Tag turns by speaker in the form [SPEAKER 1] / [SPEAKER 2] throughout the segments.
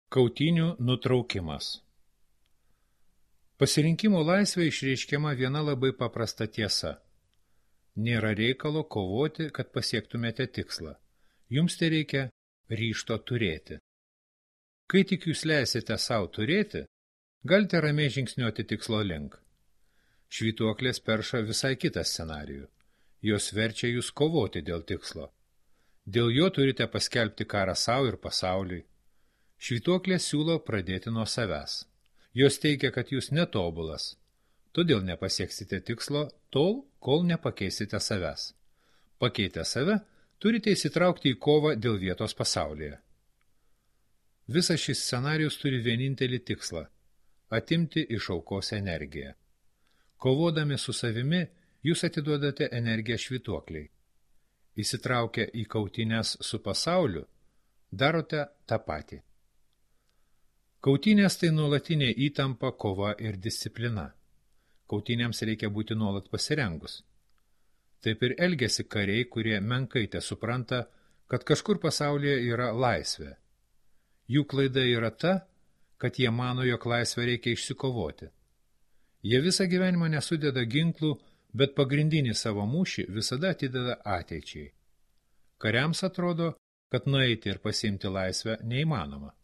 [SPEAKER 1] Kautynių nutraukimas. Pasirinkimo laisvė išreiškiama viena labai paprasta tiesa. Nėra reikalo kovoti, kad pasiektumėte tikslą. Jums tai reikia ryžto turėti. Kai tik jūs leisite savo turėti, galite ramiai žingsniuoti tikslo link. Švytuoklės perša visai kitą scenarijų. Jos verčia jūs kovoti dėl tikslo. Dėl jo turite paskelbti karą savo ir pasauliui. Švytuoklė siūlo pradėti nuo savęs. Jos teigia, kad jūs netobulas, todėl nepasieksite tikslo tol, kol nepakeisite savęs. Pakeitę save, turite įsitraukti į kovą dėl vietos pasaulyje. Visas šis scenarijus turi vienintelį tikslą – atimti iš aukos energiją. Kovodami su savimi, jūs atiduodate energiją švytuokliai. Įsitraukę į kautynes su pasauliu, darote tą patį. Kautynės tai nuolatinė įtampa, kova ir disciplina. Kautynėms reikia būti nuolat pasirengus. Taip ir elgiasi kariai, kurie menkai supranta, kad kažkur pasaulyje yra laisvė. Jų klaida yra ta, kad jie mano, jog laisvę reikia išsikovoti. Jie visą gyvenimą nesudeda ginklų, bet pagrindinį savo mūšį visada atideda ateičiai. Kariams atrodo, kad nueiti ir pasiimti laisvę neįmanoma.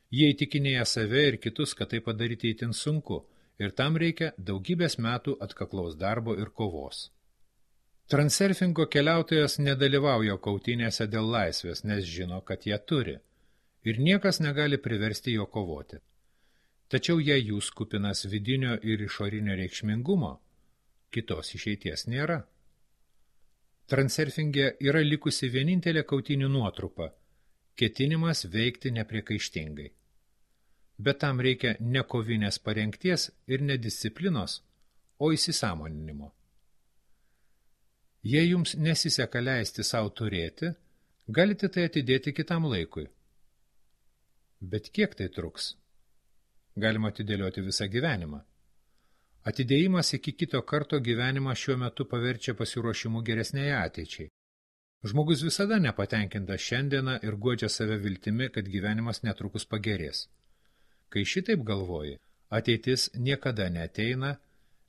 [SPEAKER 1] Jie įtikinėja save ir kitus, kad tai padaryti itin sunku, ir tam reikia daugybės metų atkaklaus darbo ir kovos. Transurfingo keliautojas nedalyvauja kautynėse dėl laisvės, nes žino, kad ją turi, ir niekas negali priversti jo kovoti. Tačiau jei jūs kupinas vidinio ir išorinio reikšmingumo, kitos išeities nėra. Transurfinge yra likusi vienintelė kautynių nuotrupa – ketinimas veikti nepriekaištingai. Bet tam reikia ne kovinės parengties ir ne disciplinos, o įsisąmoninimo. Jei jums nesiseka leisti savo turėti, galite tai atidėti kitam laikui. Bet kiek tai truks? Galima atidėlioti visą gyvenimą. Atidėjimas iki kito karto gyvenimą šiuo metu paverčia pasiruošimu geresnei ateičiai. Žmogus visada nepatenkintas šiandieną ir guodžia save viltimi, kad gyvenimas netrukus pagerės. Kai šitaip galvoji, ateitis niekada neateina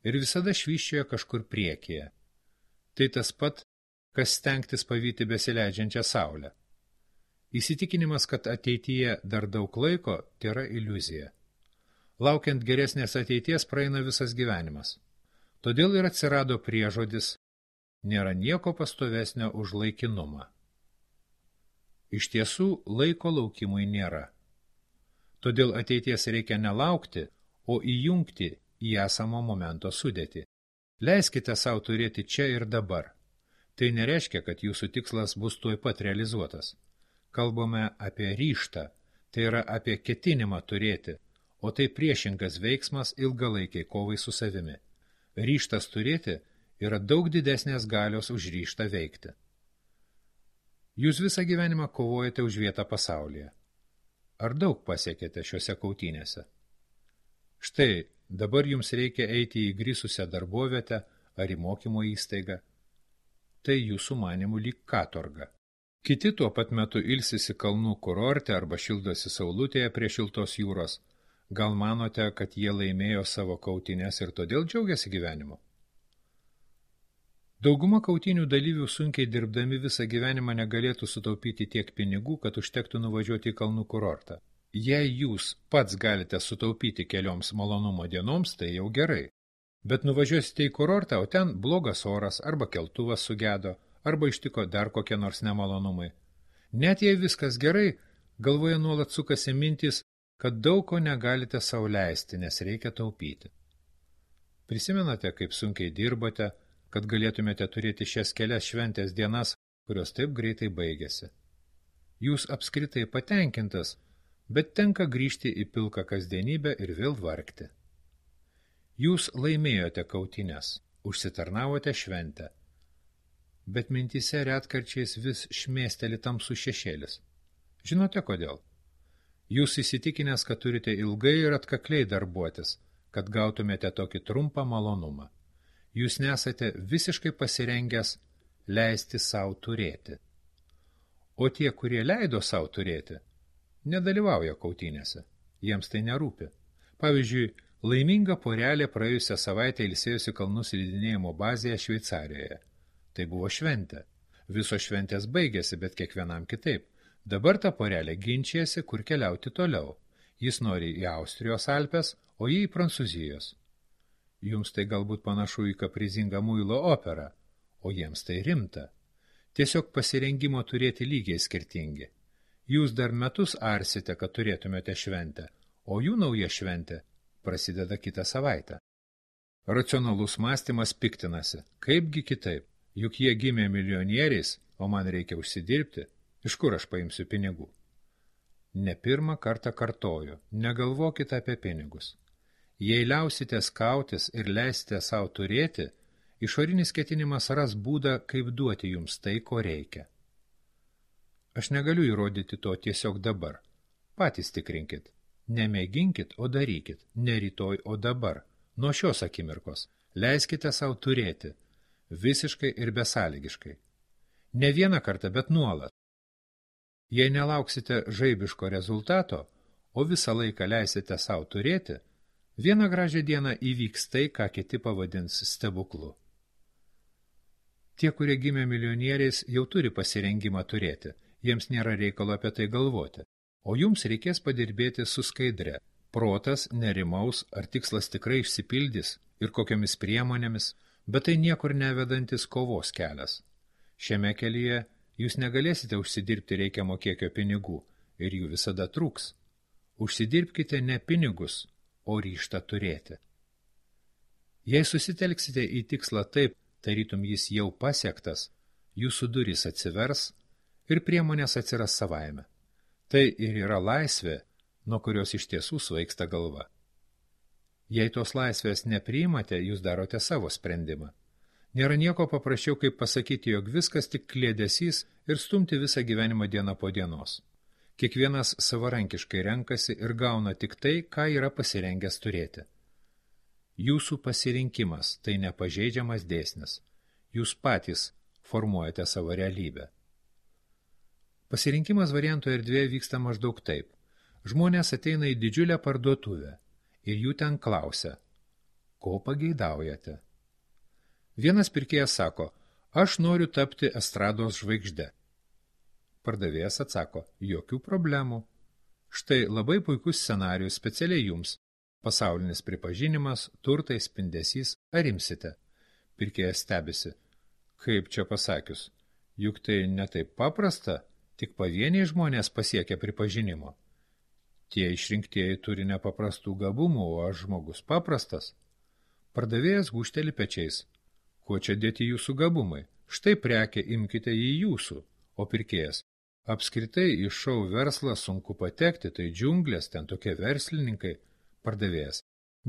[SPEAKER 1] ir visada švyščioja kažkur priekyje. Tai tas pat, kas stengtis pavyti besileidžiančią saulę. Įsitikinimas, kad ateityje dar daug laiko, tėra iliuzija. Laukiant geresnės ateities praeina visas gyvenimas. Todėl ir atsirado priežodis nėra nieko pastovesnio už laikinumą. Iš tiesų, laiko laukimui nėra. Todėl ateities reikia nelaukti, o įjungti į esamo momento sudėtį. Leiskite savo turėti čia ir dabar. Tai nereiškia, kad jūsų tikslas bus tuoj pat realizuotas. Kalbame apie ryžtą, tai yra apie ketinimą turėti, o tai priešingas veiksmas ilgalaikiai kovai su savimi. Ryžtas turėti yra daug didesnės galios už ryžtą veikti. Jūs visą gyvenimą kovojate už vietą pasaulyje. Ar daug pasiekėte šiuose kautynėse? Štai, dabar jums reikia eiti į grįsusią darbovietę ar į mokymo įstaigą. Tai jūsų manimų lyg katorga. Kiti tuo pat metu ilsisi kalnų kurorte arba šildosi saulutėje prie šiltos jūros. Gal manote, kad jie laimėjo savo kautynes ir todėl džiaugiasi gyvenimu? Dauguma kautynių dalyvių sunkiai dirbdami visą gyvenimą negalėtų sutaupyti tiek pinigų, kad užtektų nuvažiuoti į kalnų kurortą. Jei jūs pats galite sutaupyti kelioms malonumo dienoms, tai jau gerai. Bet nuvažiuosite į kurortą, o ten blogas oras, arba keltuvas sugedo, arba ištiko dar kokie nors nemalonumai. Net jei viskas gerai, galvoje nuolat sukasi mintis, kad daug ko negalite sau leisti, nes reikia taupyti. Prisimenate, kaip sunkiai dirbote, kad galėtumėte turėti šias kelias šventės dienas, kurios taip greitai baigėsi. Jūs apskritai patenkintas, bet tenka grįžti į pilką kasdienybę ir vėl vargti. Jūs laimėjote kautynes, užsitarnavote šventę, bet mintyse retkarčiais vis šmėsteli tamsų šešėlis. Žinote kodėl? Jūs įsitikinęs, kad turite ilgai ir atkakliai darbuotis, kad gautumėte tokį trumpą malonumą. Jūs nesate visiškai pasirengęs leisti savo turėti. O tie, kurie leido savo turėti, nedalyvauja kautynėse. Jiems tai nerūpi. Pavyzdžiui, laiminga porelė praėjusią savaitę ilsėjosi kalnų slidinėjimo bazėje Šveicarijoje. Tai buvo šventė. Visos šventės baigėsi, bet kiekvienam kitaip. Dabar ta porelė ginčijasi, kur keliauti toliau. Jis nori į Austrijos Alpes, o jį į Prancūzijos. Jums tai galbūt panašu į kaprizingą muilo operą, o jiems tai rimta. Tiesiog pasirengimo turėti lygiai skirtingi. Jūs dar metus arsite, kad turėtumėte šventę, o jų nauja šventė prasideda kitą savaitę. Racionalus mąstymas piktinasi. Kaipgi kitaip? Juk jie gimė milijonieriais, o man reikia užsidirbti. Iš kur aš paimsiu pinigų? Ne pirmą kartą kartoju, negalvokite apie pinigus. Jei liausitės kautis ir leisite savo turėti, išorinis ketinimas ras būdą, kaip duoti jums tai, ko reikia. Aš negaliu įrodyti to tiesiog dabar. Patys tikrinkit. Nemėginkit, o darykit. Ne rytoj, o dabar. Nuo šios akimirkos. Leiskite savo turėti. Visiškai ir besąlygiškai. Ne vieną kartą, bet nuolat. Jei nelauksite žaibiško rezultato, o visą laiką leisite savo turėti, vieną gražią dieną įvyks tai, ką kiti pavadins stebuklu. Tie, kurie gimė milijonieriais, jau turi pasirengimą turėti, jiems nėra reikalo apie tai galvoti, o jums reikės padirbėti su skaidre. Protas nerimaus, ar tikslas tikrai išsipildys ir kokiamis priemonėmis, bet tai niekur nevedantis kovos kelias. Šiame kelyje jūs negalėsite užsidirbti reikiamo kiekio pinigų ir jų visada trūks. Užsidirbkite ne pinigus, o ryžtą turėti. Jei susitelksite į tikslą taip, tarytum jis jau pasiektas, jūsų durys atsivers ir priemonės atsiras savaime. Tai ir yra laisvė, nuo kurios iš tiesų svaigsta galva. Jei tos laisvės nepriimate, jūs darote savo sprendimą. Nėra nieko paprasčiau, kaip pasakyti, jog viskas tik kliedesys ir stumti visą gyvenimą dieną po dienos. Kiekvienas savarankiškai renkasi ir gauna tik tai, ką yra pasirengęs turėti. Jūsų pasirinkimas tai nepažeidžiamas dėsnis. Jūs patys formuojate savo realybę. Pasirinkimas variantų erdvėje vyksta maždaug taip. Žmonės ateina į didžiulę parduotuvę ir jų ten klausia, ko pageidaujate. Vienas pirkėjas sako, aš noriu tapti estrados žvaigžde. Pardavėjas atsako, jokių problemų. Štai labai puikus scenarijus specialiai jums. Pasaulinis pripažinimas, turtai, spindesys, ar imsite? Pirkėjas stebisi. Kaip čia pasakius? Juk tai ne taip paprasta, tik pavieniai žmonės pasiekia pripažinimo. Tie išrinktieji turi nepaprastų gabumų, o aš žmogus paprastas. Pardavėjas gūžteli pečiais. Kuo čia dėti jūsų gabumai? Štai prekę imkite į jūsų. O pirkėjas. Apskritai į šou verslą sunku patekti, tai džiunglės, ten tokie verslininkai. Pardavėjas.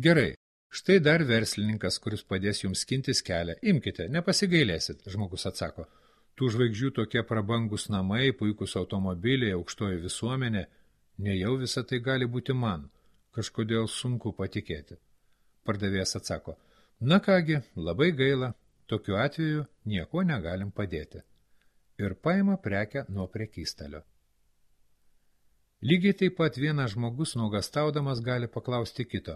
[SPEAKER 1] Gerai, štai dar verslininkas, kuris padės jums skintis kelią. Imkite, nepasigailėsit, žmogus atsako. Tų žvaigždžių tokie prabangus namai, puikus automobiliai, aukštoji visuomenė. Nejau visą tai gali būti man. Kažkodėl sunku patikėti. Pardavėjas atsako. Na kągi, labai gaila. Tokiu atveju nieko negalim padėti. Ir paima prekę nuo prekystalio. Lygiai taip pat vienas žmogus nuogastaudamas gali paklausti kito,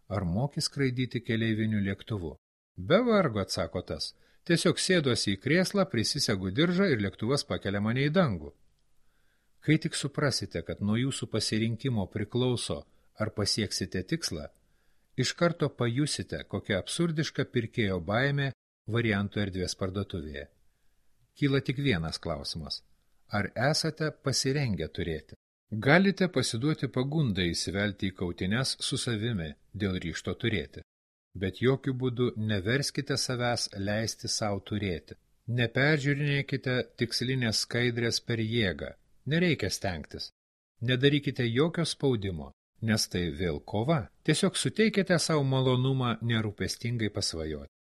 [SPEAKER 1] ar moki skraidyti keleiviniu lėktuvu. Be vargo, atsako tas. Tiesiog sėduosi į krėslą, prisisegu diržą ir lėktuvas pakelia mane į dangų. Kai tik suprasite, kad nuo jūsų pasirinkimo priklauso, ar pasieksite tikslą, iš karto pajusite, kokia absurdiška pirkėjo baimė variantų erdvės parduotuvėje. Kyla tik vienas klausimas. Ar esate pasirengę turėti? Galite pasiduoti pagundai įsivelti į kautynes su savimi dėl ryžto turėti. Bet jokių būdų neverskite savęs leisti savo turėti. Neperžiūrinėkite tikslinės skaidrės per jėgą. Nereikia stengtis. Nedarykite jokio spaudimo, nes tai vėl kova. Tiesiog suteikite savo malonumą nerūpestingai pasvajoti.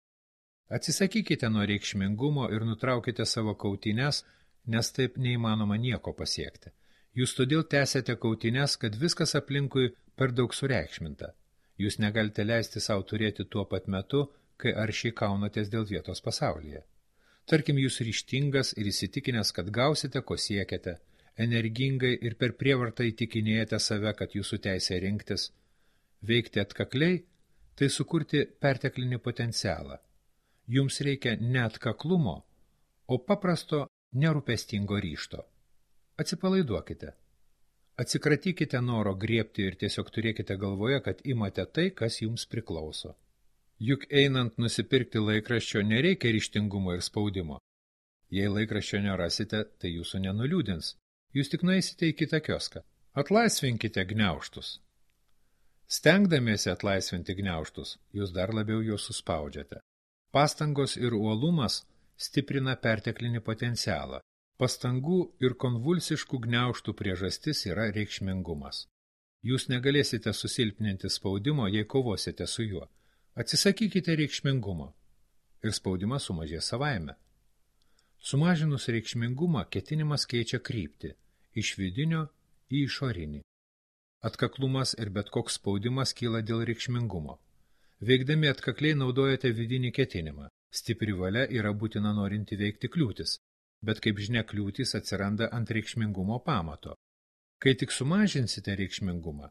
[SPEAKER 1] Atsisakykite nuo reikšmingumo ir nutraukite savo kautynes, nes taip neįmanoma nieko pasiekti. Jūs todėl tęsiate kautynes, kad viskas aplinkui per daug sureikšminta. Jūs negalite leisti savo turėti tuo pat metu, kai aršiai kaunatės dėl vietos pasaulyje. Tarkim, jūs ryžtingas ir įsitikinęs, kad gausite, ko siekiate, energingai ir per prievartą įtikinėjate save, kad jūsų teisė rinktis, veikti atkakliai, tai sukurti perteklinį potencialą. Jums reikia ne atkaklumo, o paprasto nerūpestingo ryžto. Atsipalaiduokite. Atsikratykite noro griebti ir tiesiog turėkite galvoje, kad imate tai, kas jums priklauso. Juk einant nusipirkti laikraščio nereikia ryžtingumo ir spaudimo. Jei laikraščio nerasite, tai jūsų nenuliūdins. Jūs tik nueisite į kitą kioską. Atlaisvinkite gniaužtus. Stengdamiesi atlaisvinti gniaužtus, jūs dar labiau juos suspaudžiate. Pastangos ir uolumas stiprina perteklinį potencialą. Pastangų ir konvulsiškų gniaužtų priežastis yra reikšmingumas. Jūs negalėsite susilpninti spaudimo, jei kovosite su juo. Atsisakykite reikšmingumo ir spaudimas sumažės savaime. Sumažinus reikšmingumą, ketinimas keičia kryptį iš vidinio į išorinį. Atkaklumas ir bet koks spaudimas kyla dėl reikšmingumo. Veikdami atkakliai naudojate vidinį ketinimą. Stipri valia yra būtina norinti veikti kliūtis, bet kaip žinia kliūtis atsiranda ant reikšmingumo pamato. Kai tik sumažinsite reikšmingumą,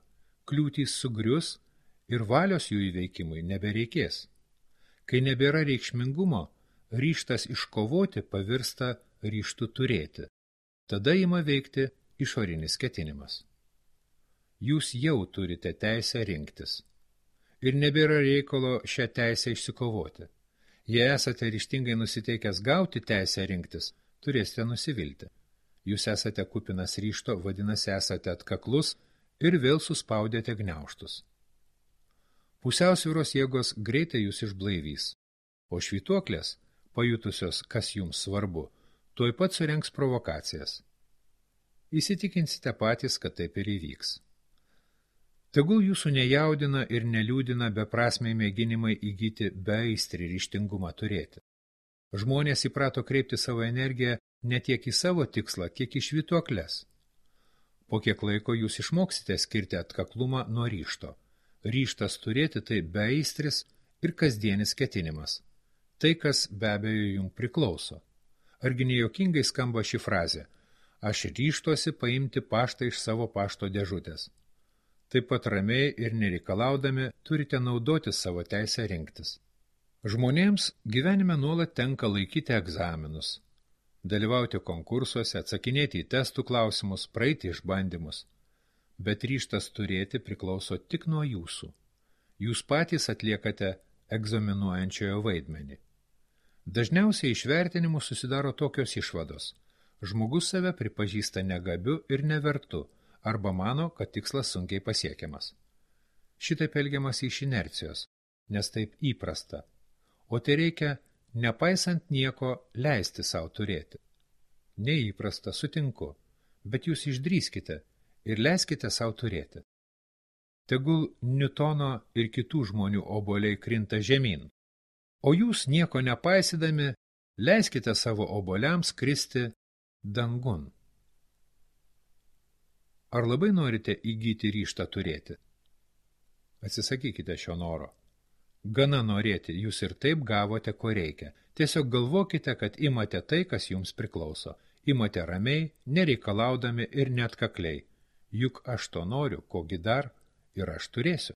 [SPEAKER 1] kliūtys sugrius ir valios jų įveikimui nebereikės. Kai nebėra reikšmingumo, ryžtas iškovoti pavirsta ryžtu turėti. Tada ima veikti išorinis ketinimas. Jūs jau turite teisę rinktis. Ir nebėra reikalo šią teisę išsikovoti. Jei esate ryžtingai nusiteikęs gauti teisę rinktis, turėsite nusivilti. Jūs esate kupinas ryžto, vadinasi esate atkaklus ir vėl suspaudėte gniaužtus. Pusiausvyros jėgos greitai jūs išblaivys, o švytuoklės, pajutusios, kas jums svarbu, tuoj pat surengs provokacijas. Įsitikinsite patys, kad taip ir įvyks. Tegul jūsų nejaudina ir neliūdina beprasmiai mėginimai įgyti beaistrį ryžtingumą turėti. Žmonės įprato kreipti savo energiją ne tiek į savo tikslą, kiek į švytuokles. Po kiek laiko jūs išmoksite skirti atkaklumą nuo ryžto. Ryžtas turėti tai beaistris ir kasdienis ketinimas. Tai, kas be abejo jums priklauso. Argi nejuokingai skamba ši frazė: aš ryžtuosi paimti paštą iš savo pašto dėžutės. Taip pat ramiai ir nereikalaudami turite naudoti savo teisę rinktis. Žmonėms gyvenime nuolat tenka laikyti egzaminus, dalyvauti konkursuose, atsakinėti į testų klausimus, praeiti išbandymus. Bet ryžtas turėti priklauso tik nuo jūsų. Jūs patys atliekate egzaminuojančiojo vaidmenį. Dažniausiai iš vertinimų susidaro tokios išvados. Žmogus save pripažįsta negabiu ir nevertu, arba mano, kad tikslas sunkiai pasiekiamas. Šitaip elgiamas iš inercijos, nes taip įprasta. O tai reikia, nepaisant nieko, leisti savo turėti. Neįprasta, sutinku, bet jūs išdrįskite ir leiskite savo turėti. Tegul Niutono ir kitų žmonių obuoliai krinta žemyn, o jūs nieko nepaisydami leiskite savo obuoliams kristi dangun. Ar labai norite įgyti ryžtą turėti? Atsisakykite šio noro. Gana norėti, jūs ir taip gavote, ko reikia. Tiesiog galvokite, kad imate tai, kas jums priklauso. Imate ramiai, nereikalaudami ir neatkakliai. Juk aš to noriu, kogi dar ir aš turėsiu.